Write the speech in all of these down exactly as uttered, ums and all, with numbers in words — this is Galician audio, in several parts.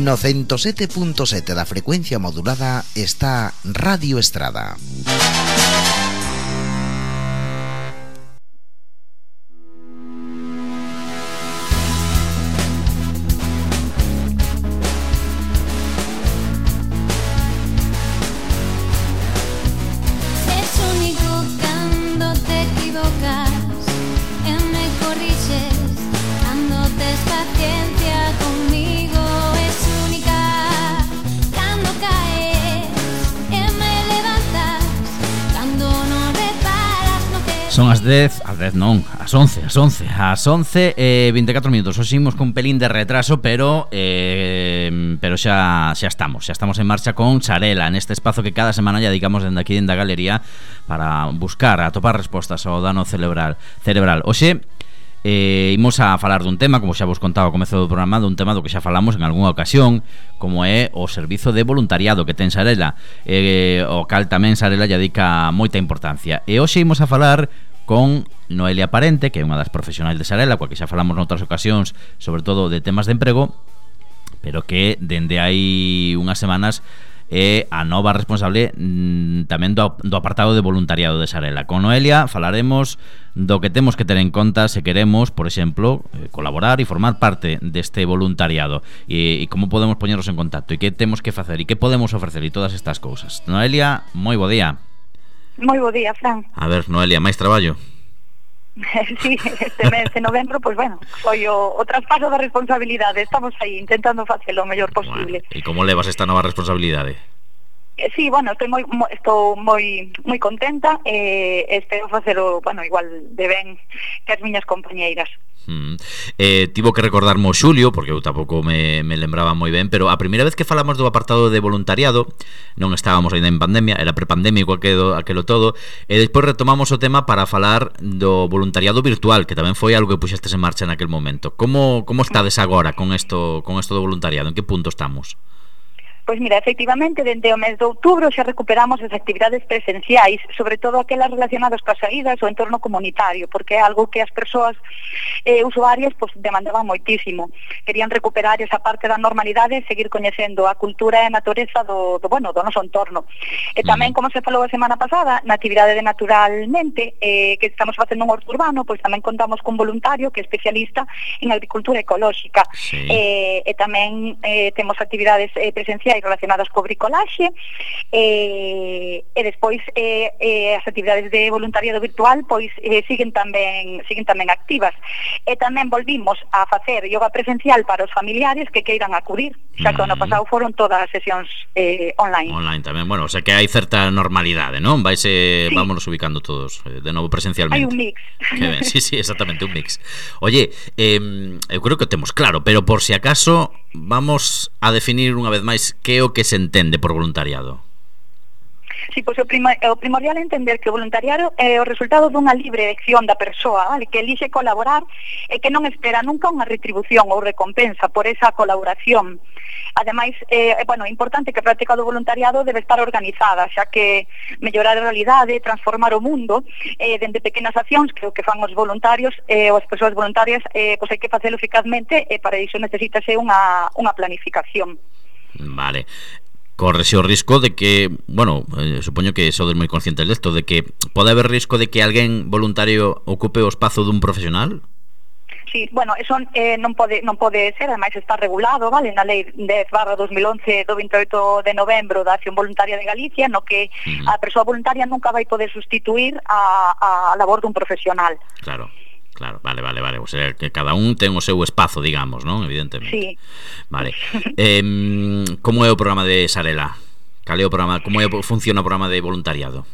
No ciento sete punto sete da frecuencia modulada está Radio Estrada. Son as dez, as dez non, as once, as once, as once e vinte e catro minutos. Hoxe imos con un pelín de retraso, pero eh, pero xa xa estamos, xa estamos en marcha con Sarela, neste espazo que cada semana lle dedicamos dende aquí dende a galería para buscar, atopar respostas ao dano cerebral. cerebral. Hoxe Eh, imos a falar dun tema, como xa vos contaba ao comezo do programa, dun tema do que xa falamos en algunha ocasión, como é o servizo de voluntariado que ten Sarela, eh, o cal tamén Sarela lle dedica moita importancia. E hoxe imos a falar con Noelia Parente, que é unha das profesionais de Sarela, coa que xa falamos noutras ocasións, sobre todo de temas de emprego, pero que dende hai unhas semanas é a nova responsable mmm, tamén do, do apartado de voluntariado de Sarela. Con Noelia falaremos do que temos que ter en conta se queremos, por exemplo, eh, colaborar e formar parte deste voluntariado, e, e como podemos poñernos en contacto, e que temos que facer, e que podemos ofrecer, e todas estas cousas. Noelia, moi bo día. Moi bo día, Fran. A ver, Noelia, máis traballo? Sí, este mes de novembro, pois pues bueno, foi o, o traspaso da responsabilidade. Estamos aí intentando facelo o mellor posible. Bueno, e como levas esta nova responsabilidade? Eh, sí, bueno, estou moi mo, estou moi moi contenta e eh, espero facelo, bueno, igual de ben que as miñas compañeiras. Mm. Eh, tivo que recordarme o Xulio, porque eu tampouco me, me lembraba moi ben, pero a primeira vez que falamos do apartado de voluntariado non estábamos ainda en pandemia, era prepandémico aquelo, aquelo todo, e despois retomamos o tema para falar do voluntariado virtual, que tamén foi algo que puxestes en marcha naquel momento. Como, como estades agora con isto, con isto do voluntariado? En que punto estamos? Pois mira, efectivamente, dende o mes de outubro xa recuperamos as actividades presenciais, sobre todo aquelas relacionadas coas saídas ou entorno comunitario, porque é algo que as persoas eh, usuarias pues, demandaban moitísimo. Querían recuperar esa parte da normalidade e seguir coñecendo a cultura e a natureza do, do, bueno, do noso entorno. E tamén, como se falou a semana pasada, na actividade de Naturalmente, eh, que estamos facendo un orto urbano, pois tamén contamos cun voluntario que é especialista en agricultura ecolóxica. Sí. Eh, e tamén eh, temos actividades eh, presenciais relacionadas co bricolaxe e, e despois eh, eh, as actividades de voluntariado virtual pois eh, siguen tamén siguen tamén activas, e tamén volvimos a facer yoga presencial para os familiares que queiran acudir, xa que o ano pasado foron todas as sesións eh, online. Online tamén, bueno, o sea que hai certa normalidade, non? Vaise, sí. Vámonos ubicando todos eh, de novo presencialmente. Hai un mix. Que ben, sí, sí, exactamente, un mix. Oye, eh, eu creo que o temos claro, pero por si acaso vamos a definir unha vez máis que é o que se entende por voluntariado. Sí, pois o, prima, o primordial é entender que o voluntariado é o resultado dunha libre elección da persoa, vale? Que elixe colaborar e que non espera nunca unha retribución ou recompensa por esa colaboración. Ademais, eh, bueno, é importante que a práctica do voluntariado debe estar organizada, xa que mellorar a realidade, transformar o mundo, eh, dende pequenas accións que o que fan os voluntarios eh, ou as persoas voluntarias, eh, pois hai que facelo eficazmente e para iso necesítase unha, unha planificación. Vale. Correse o risco de que, bueno, eh, supoño que sodes moi conscientes desto, de que pode haber risco de que alguén voluntario ocupe o espazo dun profesional? Sí, bueno, eso eh, non pode non pode ser, ademais está regulado, vale, na lei dez barra dos mil once do vinte e oito de novembro da Acción Voluntaria de Galicia, no que uh-huh. a persoa voluntaria nunca vai poder sustituir a, a labor dun profesional. Claro. Claro, vale, vale, vale. O sea, que cada un ten o seu espazo, digamos, non? Evidentemente. Sí. Vale. Eh, como é o programa de Sarela? Cal é o programa, como é, funciona o programa de voluntariado?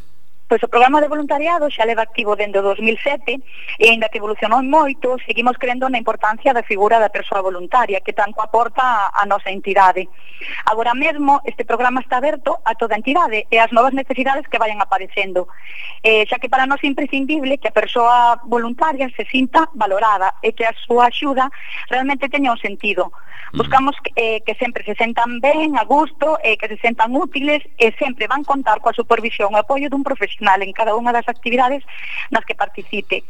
Pois o programa de voluntariado xa leva activo dende o dos mil sete e aínda que evolucionou moito, seguimos crendo na importancia da figura da persoa voluntaria que tanto aporta a nosa entidade. Agora mesmo este programa está aberto a toda a entidade e as novas necesidades que vayan aparecendo, eh, xa que para nós é imprescindible que a persoa voluntaria se sinta valorada e que a súa axuda realmente teña un sentido. Buscamos que, eh, que sempre se sentan ben, a gusto, e eh, que se sentan útiles e sempre van contar coa supervisión e apoio dun profesional. profesional en cada unha das actividades nas que participe.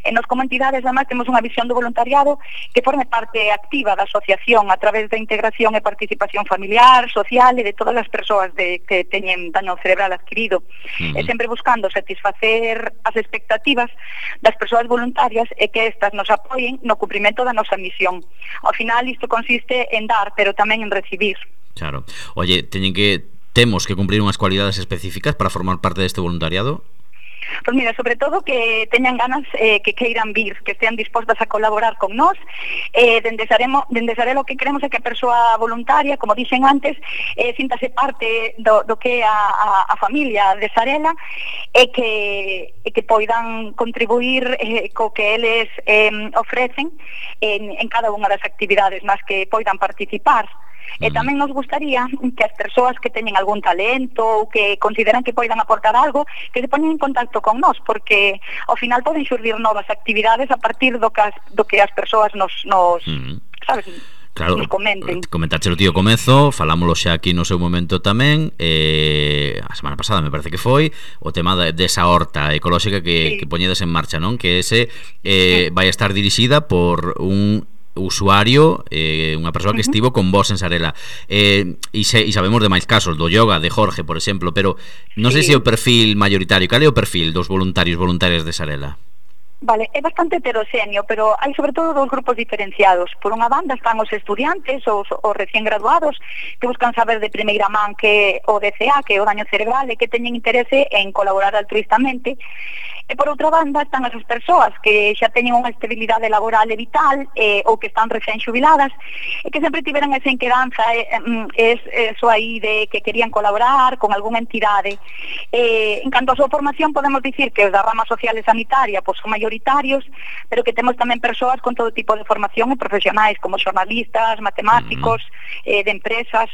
E nos como entidades, además, temos unha visión do voluntariado que forme parte activa da asociación a través da integración e participación familiar, social e de todas as persoas de, que teñen daño cerebral adquirido. Uh-huh. E sempre buscando satisfacer as expectativas das persoas voluntarias e que estas nos apoien no cumprimento da nosa misión. Ao final, isto consiste en dar, pero tamén en recibir. Claro. Oye, teñen que temos que cumprir unhas cualidades específicas para formar parte deste voluntariado? Pois mira, sobre todo que teñan ganas, eh, que queiran vir, que estean dispostas a colaborar con nós. Eh, dende Saremo, dende Sarela o que queremos é que a persoa voluntaria, como dixen antes, eh, síntase parte do, do que é a, a, a familia de Sarela e que, e que poidan contribuir eh, co que eles eh, ofrecen en, en cada unha das actividades nas que poidan participar. E tamén nos gustaría que as persoas que teñen algún talento ou que consideran que poidan aportar algo, que se poñen en contacto con nós, porque ao final poden xurdir novas actividades a partir do que as, do que as persoas nos, nos uh-huh. sabes, claro, nos comenten. Comentache o tío comezo, falámoslo xa aquí no seu momento tamén, eh, a semana pasada me parece que foi, o tema de, desa horta ecolóxica que, sí. que poñedes en marcha, non? Que ese eh, sí. vai a estar dirixida por un usuario, eh, unha persoa que estivo con vos en Sarela, eh, e, se, e sabemos de máis casos do yoga de Jorge, por exemplo, pero non sei sí. se é o perfil mayoritario. Cal é o perfil dos voluntarios voluntarias de Sarela? Vale, é bastante heteroxéneo, pero hai sobre todo dos grupos diferenciados. Por unha banda están os estudiantes, os, os recién graduados, que buscan saber de primeira man que o D C A, que é o daño cerebral, e que teñen interese en colaborar altruistamente. E por outra banda están esas persoas que xa teñen unha estabilidade laboral e vital, eh, ou que están recén xubiladas, e que sempre tiveran esa inquedanza, eh, es, eso aí de que querían colaborar con algunha entidade. Eh, en canto a súa formación, podemos dicir que os da rama social e sanitaria pois son maioritarios, pero que temos tamén persoas con todo tipo de formación e profesionais, como xornalistas, matemáticos, uh-huh. eh, de empresas.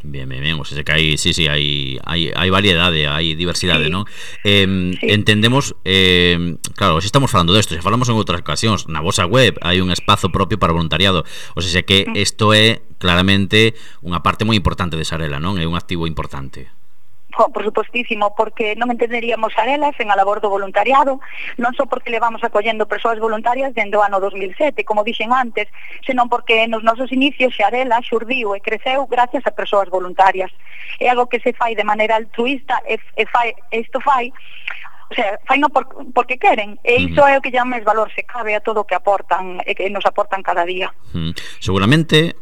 Bien, bien, bien, o sea que hai, sí, sí, hai, hai, hai variedade, hai diversidade, sí. non? Eh, sí. Entendemos, eh, claro, se estamos falando desto, se falamos en outras ocasións, na vosa web hai un espazo propio para voluntariado, o sea que isto é claramente unha parte moi importante de Sarela, non? É un activo importante. Oh, por supostísimo, porque non entenderíamos Sarela sen a labor do voluntariado, non só porque levamos acollendo persoas voluntarias dende o ano dos mil sete, como dixen antes, senón porque nos nosos inicios Sarela xurdiu e creceu gracias a persoas voluntarias. É algo que se fai de maneira altruista e, e fai, isto fai o sea, fai no por, porque queren, e iso uh-huh. é o que lle máis valor se cabe a todo o que aportan e que nos aportan cada día. Uh-huh. Seguramente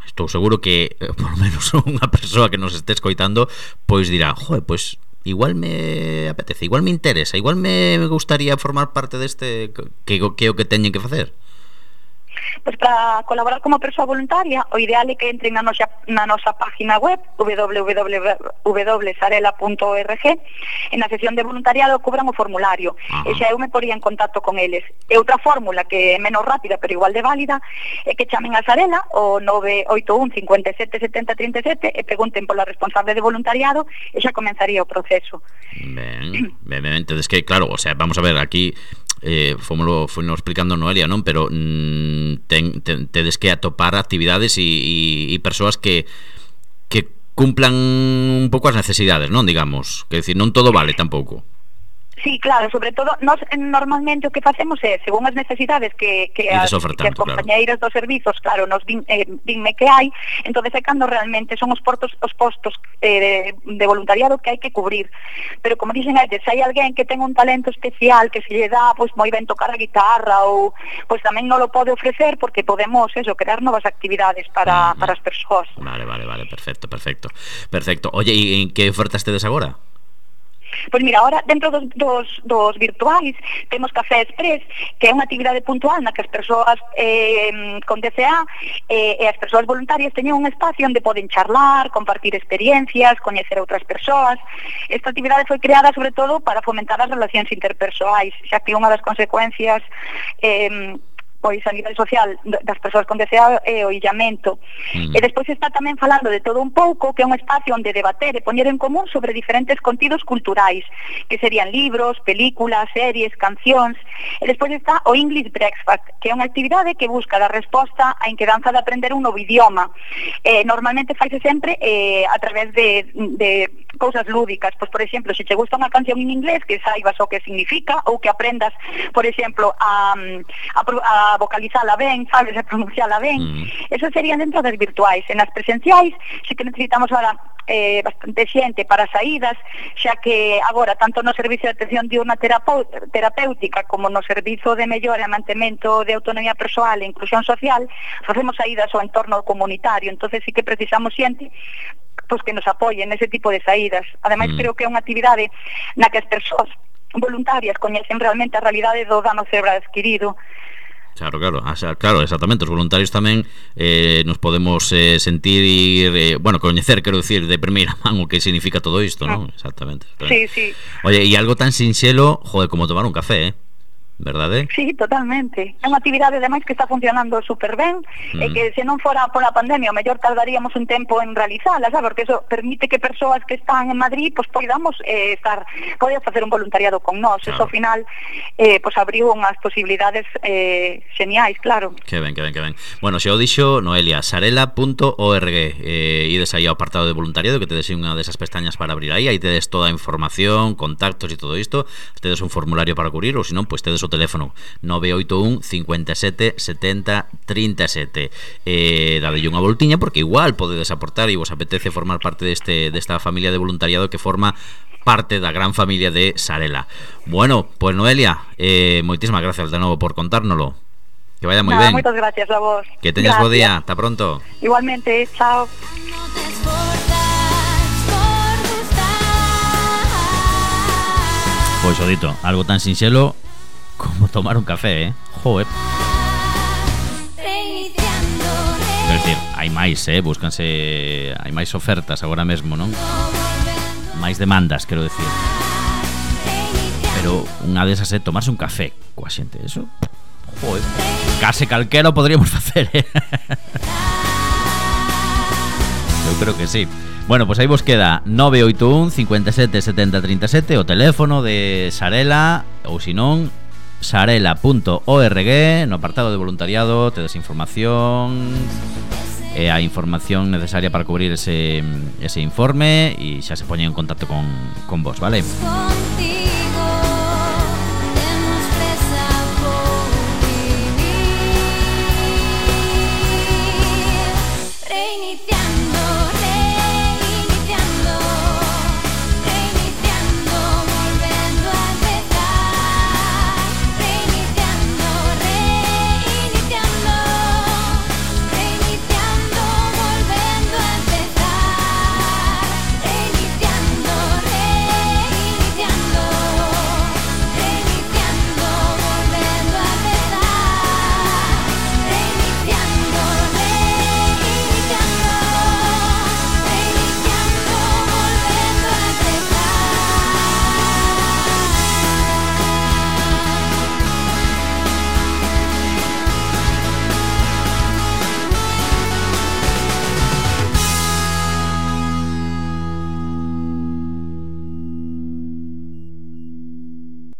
estou seguro que, por lo menos unha persoa que nos este escoitando, pois dirá, joder, pois igual me apetece, igual me interesa, igual me gustaría formar parte deste, que, que é o que teñen que facer. Pois para colaborar como persoa voluntaria, o ideal é que entren na nosa, na nosa página web w w w punto sarela punto org e na sección de voluntariado cubran o formulario. Ajá. E xa eu me poría en contacto con eles. E outra fórmula que é menos rápida pero igual de válida é que chamen a Sarela o nove oito un, cinco sete, sete cero tres sete e pregunten pola responsable de voluntariado e xa comenzaría o proceso. Ben, ben, ben, entonces que claro, o sea, vamos a ver aquí eh, fomoslo, foi nos explicando Noelia, non? Pero mm, ten, ten, tedes que atopar actividades e, e, e persoas que que cumplan un pouco as necesidades, non? Digamos, que decir, non todo vale tampouco. Sí, claro, sobre todo nos, normalmente o que facemos é, según as necesidades que, que, as, que as compañeiras claro. dos servizos, claro, nos din, eh, dinme que hai, entonces é cando realmente son os portos, os postos eh, de, de voluntariado que hai que cubrir. Pero como dixen antes, se hai alguén que ten un talento especial que se lle dá, pois moi ben tocar a guitarra ou pois tamén non lo pode ofrecer porque podemos eso, crear novas actividades para, uh-huh. para as persoas. Vale, vale, vale, perfecto, perfecto. Perfecto. Oye, e en que ofertas tedes agora? Pois mira, ahora dentro dos, dos, dos virtuais temos Café Express, que é unha actividade puntual na que as persoas eh, con D C A eh, e as persoas voluntarias teñen un espacio onde poden charlar, compartir experiencias, coñecer outras persoas. Esta actividade foi creada sobre todo para fomentar as relacións interpersoais, xa que unha das consecuencias eh, pois a nivel social das persoas con D C A e o illamento. Mm. E despois está tamén falando de todo un pouco, que é un espacio onde debater e poñer en común sobre diferentes contidos culturais, que serían libros, películas, series, cancións. E despois está o English Breakfast, que é unha actividade que busca dar resposta á inquedanza de aprender un novo idioma. Eh, normalmente faise sempre eh, a través de, de cousas lúdicas, pois por exemplo, se che gusta unha canción en inglés, que saibas o que significa ou que aprendas, por exemplo, a, a, a vocalizala ben, sabes, a pronunciala ben. Mm. Eso serían dentro das virtuais. En as presenciais, sí que necesitamos ahora eh, bastante xente para saídas, xa que agora, tanto no servicio de atención diurna terapéutica como no servizo de mellora e mantemento de autonomía persoal e inclusión social, facemos saídas ao entorno comunitario. Entonces sí que precisamos xente pois que nos apoyen nese tipo de saídas. Ademais, mm. creo que é unha actividade na que as persoas voluntarias coñecen realmente a realidade do dano cerebral adquirido. Claro, claro, o sea, claro, exactamente. Os voluntarios tamén eh, nos podemos eh, sentir eh, bueno, coñecer, quero dicir, de primeira man o que significa todo isto, non? Mm. Exactamente, exactamente. Sí, sí. Oye, e algo tan sinxelo, joder, como tomar un café, eh? Verdade? Sí, totalmente. É unha actividade ademais que está funcionando super ben, mm. e que se non fora pola pandemia, o mellor tardaríamos un tempo en realizala, sabe? Porque eso permite que persoas que están en Madrid, pois pues, podamos eh, estar, poder facer un voluntariado con nós. Claro. Eso ao final eh, pois pues, abriu unhas posibilidades eh, geniais, claro. Que ben, que ben, que ben. Bueno, xa o dixo Noelia, sarela punto org, eh, ides aí ao apartado de voluntariado, que tedes unha desas pestañas para abrir aí, aí tedes toda a información, contactos e todo isto, tedes un formulario para cubrir, ou se non, pois pues, tedes o teléfono nove oito un, cinco sete, setenta, trinta e sete. Eh, dadelle unha voltiña porque igual podedes aportar e vos apetece formar parte deste desta familia de voluntariado que forma parte da gran familia de Sarela. Bueno, pues Noelia, eh, moitísimas gracias de novo por contárnolo. Que vaya moi Nada, ben. Moitas gracias a vos. Que teñas bo día. Hasta pronto. Igualmente, chao. Pois o dito, algo tan sinxelo como tomar un café, eh? Joder. Quero dicir, hai máis, eh? Búscanse, hai máis ofertas agora mesmo, non? Máis demandas, quero dicir. Pero unha desas é tomarse un café coa xente, eso. Joder. Case calquera podríamos facer, eh? Eu creo que sí. Bueno, pois pues aí vos queda nove oito un, cinco sete, setenta, trinta e sete, o teléfono de Sarela, ou se non, sarela punto org, no apartado de voluntariado tedes información e a información necesaria para cubrir ese, ese informe e xa se poñen en contacto con, con vos, vale?